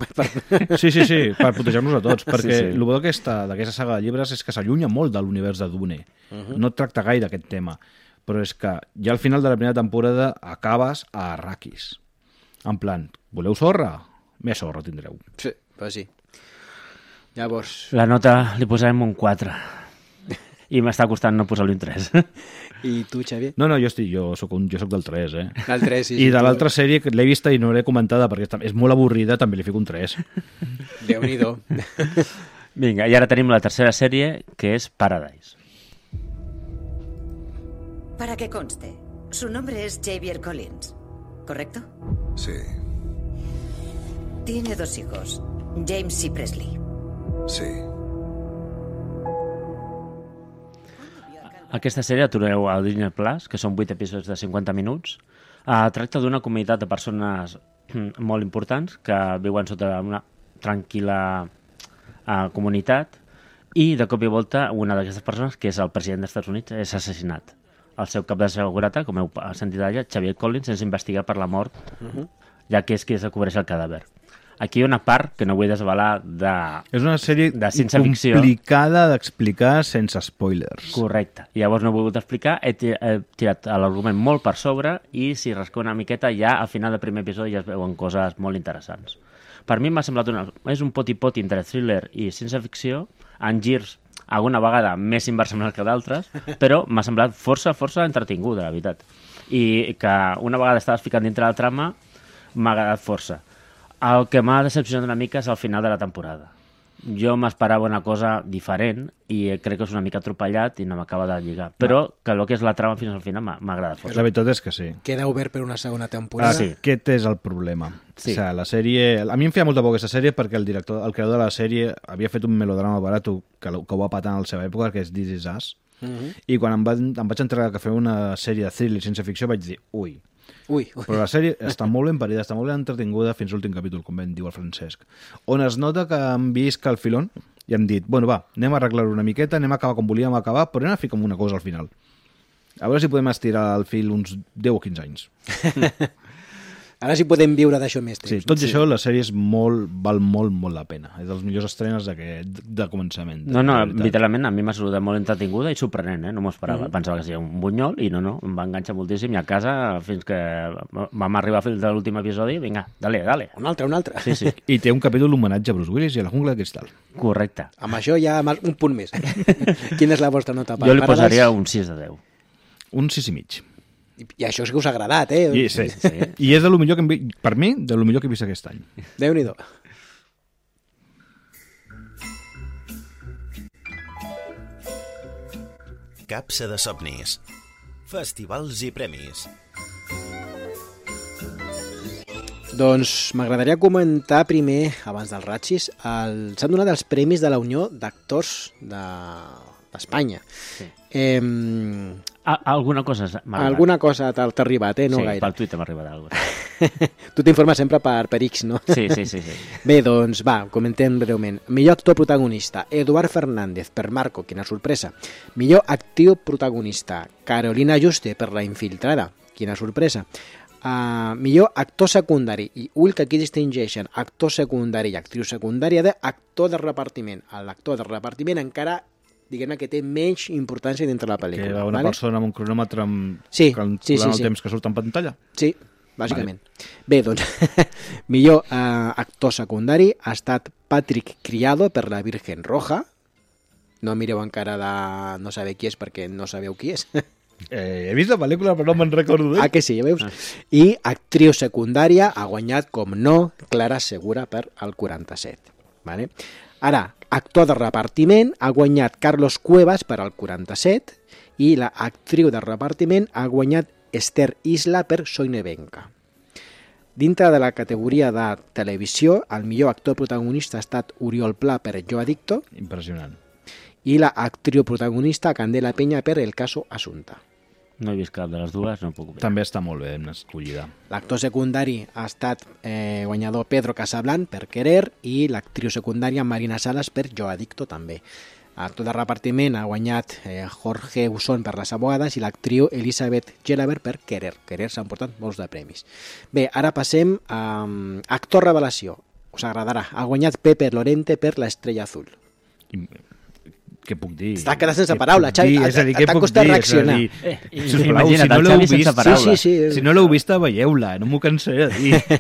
Sí, per putejar-nos a tots, perquè el bo d'aquesta saga de llibres és que s'allunya molt de l'univers de Dune. No tracta gaire aquest tema, però és que ja al final de la primera temporada acabes a Arrakis. En plan, voleu sorra? Més sorra tindreu. Sí, però sí. Llavors... La nota li posarem un 4. I m'està costant no posar-li un 3. I tu, Xavier? No, jo soc del 3, eh? Del 3, sí. I de l'altra sèrie que l'he vista i no l'he comentada perquè és molt avorrida, també li fico un 3. Déu-n'hi-do. Vinga, i ara tenim la tercera sèrie, que és Paradise. Para que conste, su nombre es Xavier Collins, ¿correcto? Sí. Tiene 2 hijos, James y Presley. Sí. Aquesta sèrie la trobeu a Disney Plus, que són 8 episodis de 50 minuts. Tracta d'una comunitat de persones molt importants que viuen sota una tranquil·la comunitat i de cop i volta una d'aquestes persones, que és el president dels Estats Units, és assassinat. El seu cap de seguretat, com heu sentit allà, Xavier Collins, és investigat per la mort, ja que és qui descobreix el cadàver. Aquí hi ha una part que no vull desvelar és una sèrie ciència-ficció complicada d'explicar sense spoilers. Correcte. Llavors no he volgut explicar, he tirat l'argument molt per sobre i si rasqueu una miqueta ja al final del primer episodi ja es veuen coses molt interessants. Per mi m'ha semblat és un poti-poti entre thriller i ciència-ficció, en girs alguna vegada més inversemblants que d'altres, però m'ha semblat força entretinguda, la veritat. I que una vegada estaves ficant dintre la trama m'ha agradat força. El que m'ha decepcionat una mica és el final de la temporada. Jo m'esperava una cosa diferent i crec que és una mica atropellat i no m'acaba de lligar. Però que el que és la trama fins al final m'ha agradat força. La veritat és que sí. Queda obert per una segona temporada. Sí. Aquest és el problema. Sí. O sigui, la sèrie... A mi em feia molta por aquesta sèrie perquè el creador de la sèrie havia fet un melodrama barat que ho va patar en la seva època, que és This Is Us. I quan em vaig enterar que feia una sèrie de thriller sense ficció vaig dir, ui. Però la sèrie està molt ben parida, està molt ben entretinguda fins l'últim capítol, com ben diu el Francesc, on es nota que han vist que el filón i hem dit, bueno, va, anem a arreglar una miqueta, anem a acabar com volíem acabar, però anem a ficar una cosa al final. A veure si podem estirar el fil uns 10 o 15 anys. Ara sí podem viure d'això més temps. Sí, tot i això, la sèrie val molt la pena. És dels millors estrenes de començament. No, literalment a mi m'ha saludat molt entretinguda i sorprenent, no m'ho esperava. Pensava que seria un bunyol i no, em va enganxar moltíssim i a casa, fins que vam arribar fins a l'últim episodi, vinga, dale. Un altre. Sí. I té un capítol homenatge a Bruce Willis i a la jungla de cristal. Correcte. Amb això ja un punt més. Quina és la vostra nota? Jo li posaria un 6 de 10. Un 6,5. I això és que us ha agradat, Sí. I és de lo millor que per mi, de lo millor que he vist aquest any. Déu-n'hi-do. Capsa de somnis. Festivals i premis. Doncs m'agradaria comentar primer, abans dels ratxis, s'han donat els premis de la Unió d'Actors d'Espanya. Sí. Alguna cosa m'ha arribat. Alguna cosa t'ha arribat, no sí, gaire. Sí, pel Twitter m'ha arribat alguna cosa. Tu t'informes sempre per X, no? Sí. Bé, doncs va, comentem breument. Millor actor protagonista, Eduard Fernández, per Marco, quina sorpresa. Millor actriu protagonista, Carolina Juste, per La Infiltrada, quina sorpresa. Millor actor secundari, i ull que aquí distingeixen actor secundari i actriu secundària d'actor de repartiment. L'actor de repartiment encara, diguem-ne, que té menys importància dintre la pel·lícula. Que una persona amb un cronòmetre calculant el temps que surt en pantalla? Sí, bàsicament. Bé, doncs, millor actor secundari ha estat Patrick Criado per La Virgen Roja. No mireu encara de no saber qui és perquè no sabeu qui és. He vist la pel·lícula però no me'n recordo d'ell. Que sí, ja veus? I actriu secundària ha guanyat, com no, Clara Segura per el 47. Vale? Ara, actor de repartiment ha guanyat Carlos Cuevas per al 47 i la actriu de repartiment ha guanyat Esther Isla per Soy Nevenka. Dintre de la categoria de televisió, el millor actor protagonista ha estat Oriol Pla per Jo Adicto. Impressionant. I la actriu protagonista Candela Peña per El caso Asunta. No he vist cap de les dues, no puc opinar. També està molt ben escollida. L'actor secundari ha estat guanyador Pedro Casablanc per Querer i l'actriu secundària Marina Salas per Jo Adicto també. L'actor de repartiment ha guanyat Jorge Usón per Les abogades i l'actriu Elisabeth Gelabert per Querer. Querer s'han portat molts de premis. Bé, ara passem a actor revelació. Us agradarà. Ha guanyat Pepe Lorente per L'Estrella Azul. Què puc dir? Està quedant sense paraula, Xavi. T'ha costat reaccionar. Sisplau, si no l'heu vist, si no l'heu vist, veieu-la, no m'ho cansaré de dir.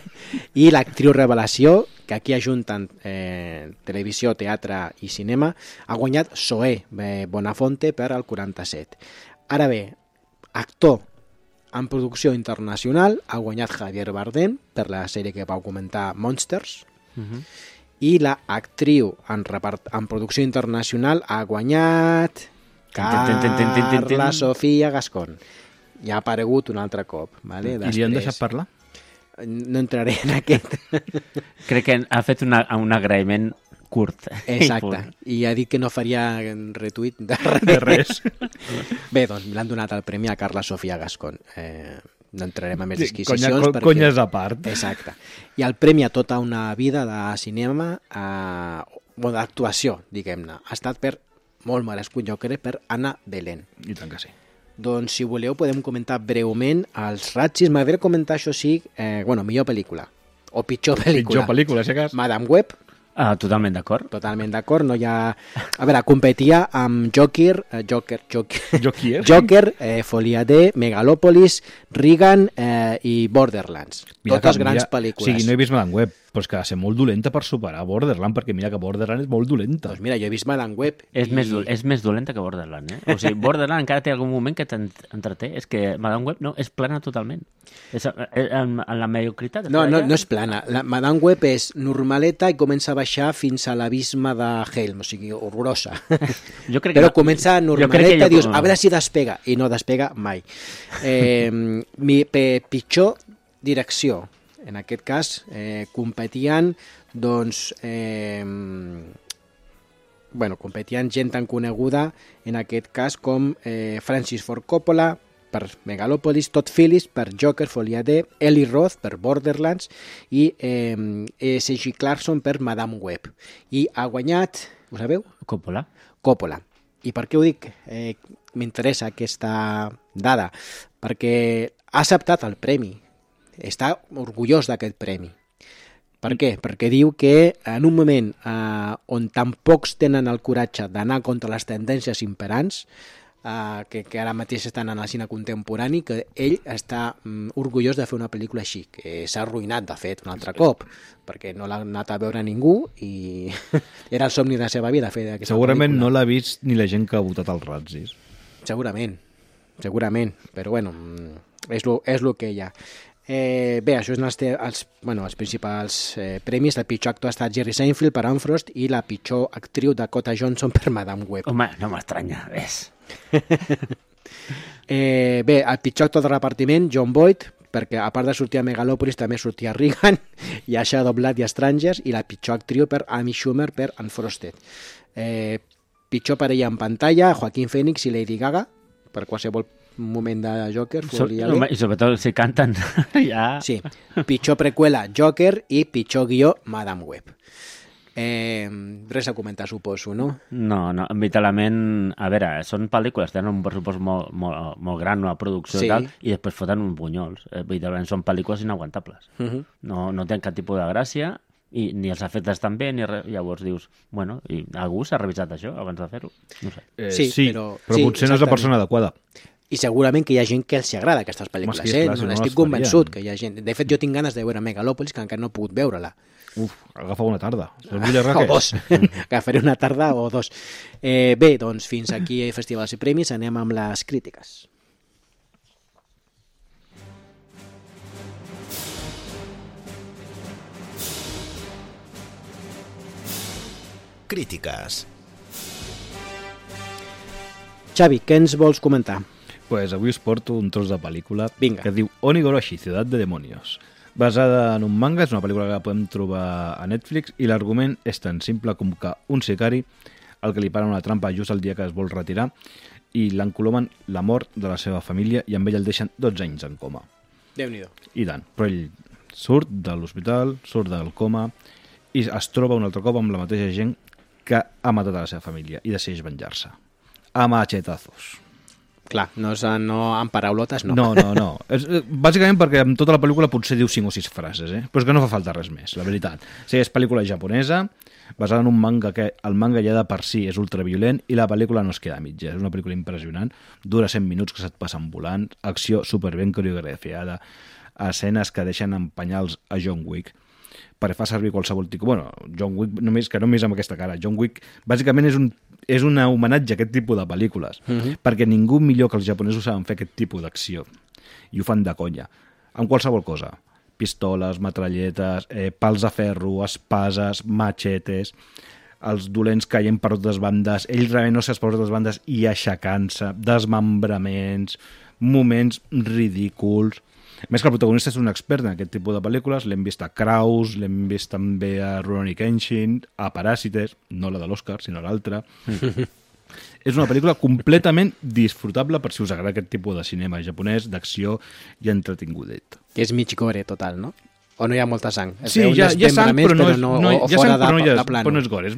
I l'actriu revelació, que aquí ajunten televisió, teatre i cinema, ha guanyat Zoé Bonafonte per al 47. Ara bé, actor en producció internacional ha guanyat Javier Bardem per la sèrie que vau comentar, Monsters. I la actriu en producció internacional ha guanyat Carla Sofia Gascón. Ja ha aparegut un altre cop. Vale? I li han deixat parlar? No entraré en aquest. Crec que ha fet un agraïment curt. Exacte. I ha dit que no faria retuit de res. Bé, doncs l'han donat el premi a Carla Sofia Gascón. No entrarem en més disquisicions. Conyes a part. Exacte. I el premi a tota una vida de cinema, o d'actuació, diguem-ne, ha estat per, molt merescut, jo crec, per Anna Belén. I tant que sí. Doncs, si voleu, podem comentar breument els ratxis. M'agradaria comentar, això sí, millor pel·lícula. O pitjor pel·lícula. Pitjor pel·lícula, si cas. Madame Web. Totalment d'acord. Totalment d'acord. No hi ha... A veure, competia amb Joker, Folia D, Megalòpolis, Reagan i Borderlands. Totes grans pel·lícules. Sí, no he vist Madame Web, però és que ha de ser molt dolenta per superar Borderland, perquè mira que Borderland és molt dolenta. Doncs mira, jo he vist Madame Web. És més dolenta que Borderland, eh? O sigui, Borderland encara té algun moment que t'entreté. És que Madame Web no, és plana totalment. En la mediocritat. No és plana. La Madame Web és normaleta i comença a baixar fins a l'abisme de Helm, o sigui, horrorosa. Però comença normaleta i dius, a veure si despega, i no despega mai. Pitjor direcció. En aquest cas, competien, doncs, competien gent tan coneguda, en aquest cas, com Francis Ford Coppola, per Megalòpolis, Todd Phillips per Joker, Folia D, Eli Roth per Borderlands i C.G. Clarkson per Madame Web. I ha guanyat Ho sabeu? Coppola. I per què ho dic? M'interessa aquesta dada, perquè ha acceptat el premi, està orgullós d'aquest premi. Per què? Perquè diu que en un moment on tan pocs tenen el coratge d'anar contra les tendències imperants, que ara mateix estan en el cine contemporani, que ell està orgullós de fer una pel·lícula així, que s'ha arruïnat, de fet, un altre cop, perquè no l'ha anat a veure ningú i era el somni de la seva vida fer aquesta Segurament pel·lícula. no l'ha vist ni la gent que ha votat als Razzies. Segurament, però bueno, és lo que hi ha. Bé, això són els principals premis. El pitjor actor ha estat Jerry Seinfeld per Anne Frost i la pitjor actriu Dakota Johnson per Madame Web. Home, no m'estranya, ves. Bé, el pitjor actor de repartiment, John Boyd, perquè a part de sortir a Megalopolis també sortia a Reagan i a Shadow of Blood i Strangers, i la pitjor actriu per Amy Schumer per Unfrosted. Pitjor parella en pantalla, Joaquin Phoenix i Lady Gaga, per qualsevol moment de Joker. I sobretot si canten ja... Sí, pitjor preqüela Joker i pitjor guió Madame Web. Res a comentar, suposo, no? No, vitalment... A veure, són pel·lícules, tenen un pressupost molt gran, una producció i tal, i després foten uns bunyols. Vitalment són pel·lícules inaguantables. No tenen cap tipus de gràcia, i ni els efectes tan bé, ni res. Llavors dius, bueno, i algú s'ha revisat això abans de fer-ho? No sé. Sí, però potser no és la persona adequada. I segurament que hi ha gent que els agrada aquestes pel·lícules, Estic convençut que hi ha gent. De fet, jo tinc ganes de veure Megalopolis, que encara no he pogut veure-la. Agafa una tarda. O dos. Agafaré una tarda o dos. Bé, doncs fins aquí festivals i premis, anem amb les crítiques. Crítiques. Xavi, què ens vols comentar? Pues avui us porto un tros de pel·lícula que diu Onigoroshi, Ciudad de Demonios. Basada en un manga, és una pel·lícula que podem trobar a Netflix i l'argument és tan simple com que un sicari al que li para una trampa just el dia que es vol retirar i l'encolomen la mort de la seva família i amb ell el deixen 12 anys en coma. Déu-n'hi-do. I tant, però ell surt de l'hospital, surt del coma i es troba un altre cop amb la mateixa gent que ha matat a la seva família i decideix venjar-se. A machetazos. Clar, no amb paraulotes, no. No. Bàsicament perquè en tota la pel·lícula potser diu 5 o 6 frases, però és que no fa falta res més, la veritat. Sí, és pel·lícula japonesa, basada en un manga que el manga ja de per si és ultraviolent i la pel·lícula no es queda a mitja. És una pel·lícula impressionant, dura 100 minuts que se't passen volant, acció superben coreografiada, escenes que deixen en penyals a John Wick, perquè fa servir qualsevol tipus... Bueno, John Wick, només amb aquesta cara. John Wick, bàsicament, és un homenatge a aquest tipus de pel·lícules, perquè ningú millor que els japonesos saben fer aquest tipus d'acció, i ho fan de conya, amb qualsevol cosa. Pistoles, metralletes, pals de ferro, espases, machetes, els dolents caient per totes bandes, ell realment no s'ha per totes bandes i aixecant-se, desmembraments, moments ridículs. A més que el protagonista és un expert en aquest tipus de pel·lícules, l'hem vist a Kraus, l'hem vist també a Rurouni Kenshin, a Paràsites, no la de l'Oscar, sinó l'altra. És una pel·lícula completament disfrutable per si us agrada aquest tipus de cinema japonès, d'acció i entretingudet. Que és mig gore total, no? O no hi ha molta sang? Sí, hi ha sang, però no és gore.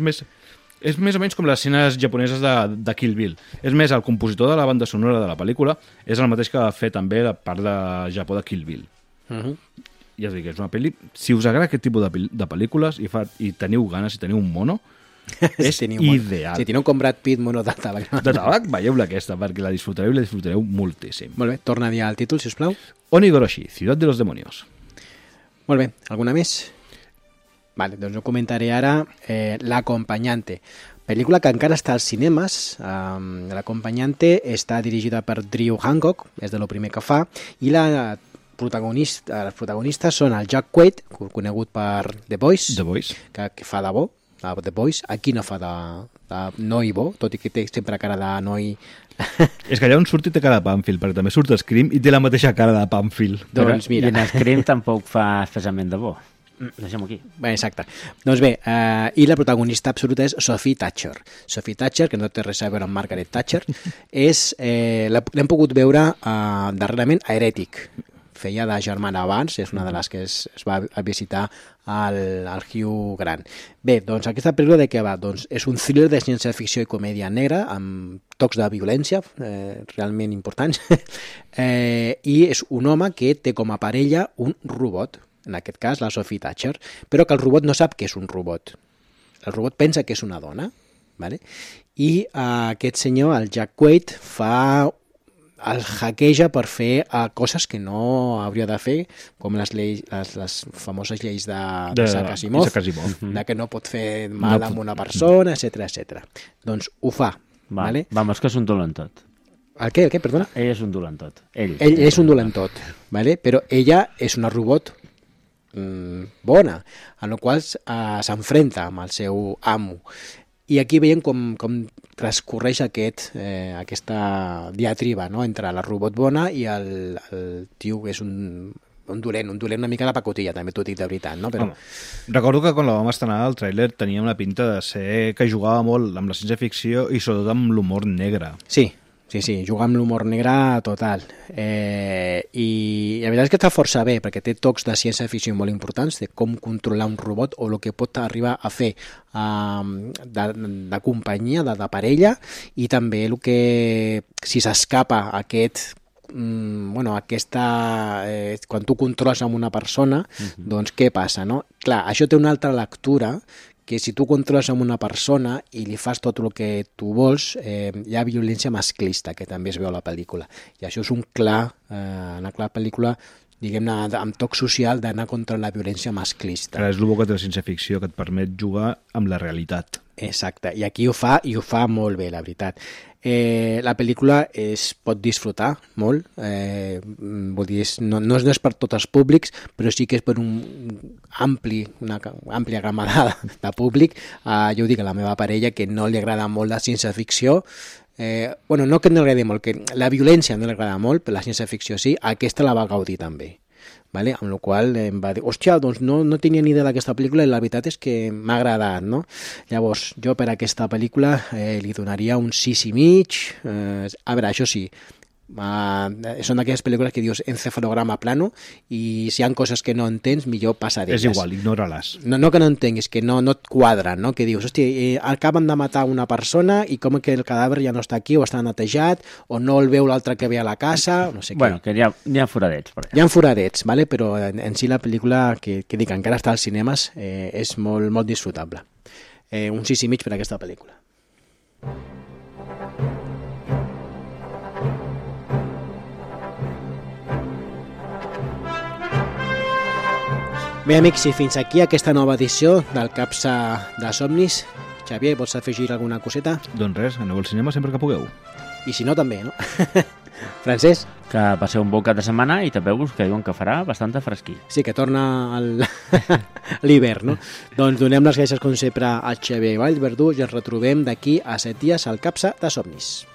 És més o menys com les escenes japoneses de Kill Bill. És més, el compositor de la banda sonora de la pel·lícula és el mateix que va fer també la part de Japó de Kill Bill. Ja us dic, és una pel·li... Si us agrada aquest tipus de pel·lícules i teniu ganes, si teniu un mono, és ideal. Si teniu com Brad Pitt mono de tabac. De tabac, veieu-la aquesta, perquè la disfrutareu i la disfrutareu moltíssim. Molt bé, torna a dir el títol, si us plau. Onigoroshi, Ciudad de los Demonios. Molt bé, alguna més? Vale, doncs ho comentaré ara. L'Acompanyante, pel·lícula que encara està als cinemes. L'Acompanyante està dirigida per Drew Hancock, és de lo primer que fa, i els protagonistes són el Jack Quaid, conegut per The Boys, que fa de bo, The Boys. Aquí no fa de noi bo, tot i que té sempre cara de noi. És que allà on surt i té cara de Pàmfil, perquè també surt Scream i té la mateixa cara de Pàmfil. Doncs mira. I en Scream tampoc fa especialment de bo. Deixem-ho aquí. Bé, exacte. Doncs bé, i la protagonista absoluta és Sophie Thatcher. Sophie Thatcher, que no té res a veure amb Margaret Thatcher, l'hem pogut veure darrerament a Heretic. feia de germana abans, és una de les que es va a visitar el Hugh Grant. Bé, doncs aquesta pel·lícula de què va? Doncs és un thriller de ciència-ficció i comèdia negra amb tocs de violència realment importants i és un home que té com a parella un robot, en aquest cas la Sophie Thatcher, però que el robot no sap que és un robot. El robot pensa que és una dona, ¿vale? I aquest senyor, el Jack Quaid, el hackeja per fer coses que no hauria de fer, com les famoses lleis d'Isaac Asimov, de que no pot fer mal a una persona, etc. Doncs ho fa. Vale? Vamos, que és un dolentot. El què? Perdona? Ell és un dolentot. Ell és un dolentot, ¿vale? Però ella és una robot bona, en la qual s'enfrenta amb el seu amo. I aquí veiem com transcorreix aquesta diatriba, no?, entre la robot bona i el tio que és un dolent una mica de pacotilla, també t'ho dic de veritat, no? Però... Recordo que quan la vam estrenar el tràiler tenia una pinta de ser que jugava molt amb la ciència-ficció i sobretot amb l'humor negre. Sí, juga amb l'humor negre total. I la veritat és que està força bé, perquè té tocs de ciència-ficció molt importants, de com controlar un robot o el que pot arribar a fer de companyia, de parella, i també el que, si s'escapa quan tu controles amb una persona, doncs què passa, no? Clar, això té una altra lectura, que si tu controles amb una persona i li fas tot el que tu vols, hi ha violència masclista, que també es veu a la pel·lícula. I això és una clara pel·lícula, diguem-ne, amb toc social, d'anar contra la violència masclista. Clar, és el bo que té la ciència-ficció, que et permet jugar amb la realitat. Exacte, i aquí ho fa molt bé, la veritat. La pel·lícula es pot disfrutar molt, vull dir, no és per tots els públics, però sí que és per una àmplia gamma de públic. Jo ho dic a la meva parella, que no li agrada molt la ciència-ficció, no que no li agradi molt, que la violència no li agrada molt, però la ciència-ficció sí, aquesta la va gaudir també. Vale? Amb la qual em va dir, hòstia, doncs no tenia ni idea d'aquesta pel·lícula i la veritat és que m'ha agradat, no? Llavors, jo per aquesta pel·lícula li donaria un 6,5. A veure, això sí, són d'aquelles pel·lícules que dius encefalograma plano, i si hi ha coses que no entens, millor passa d'elles. És igual, ignora-les. No que no entenguis, que no et quadren, no? Que dius, hòstia, acaben de matar una persona i com que el cadàver ja no està aquí o està netejat o no el veu l'altre que ve a la casa, no sé què. Bueno, que hi ha foradets. Per allà. Hi ha foradets, vale? Però en si la pel·lícula, que dic, encara està als cinemes, és molt, molt disfrutable. Un 6,5 per aquesta pel·lícula. Bé, amics, i fins aquí aquesta nova edició del Capsa de Somnis. Xavier, vols afegir alguna coseta? Doncs res, aneu al cinema sempre que pugueu. I si no, també, no? Francesc? Que passeu un bon cap de setmana i tapeu-vos, que diuen que farà bastanta fresquí. Sí, que torna l'hivern, no? Doncs donem les gràcies, com sempre, a Xavier Vallverdú i ens retrobem d'aquí a 7 dies al Capsa de Somnis.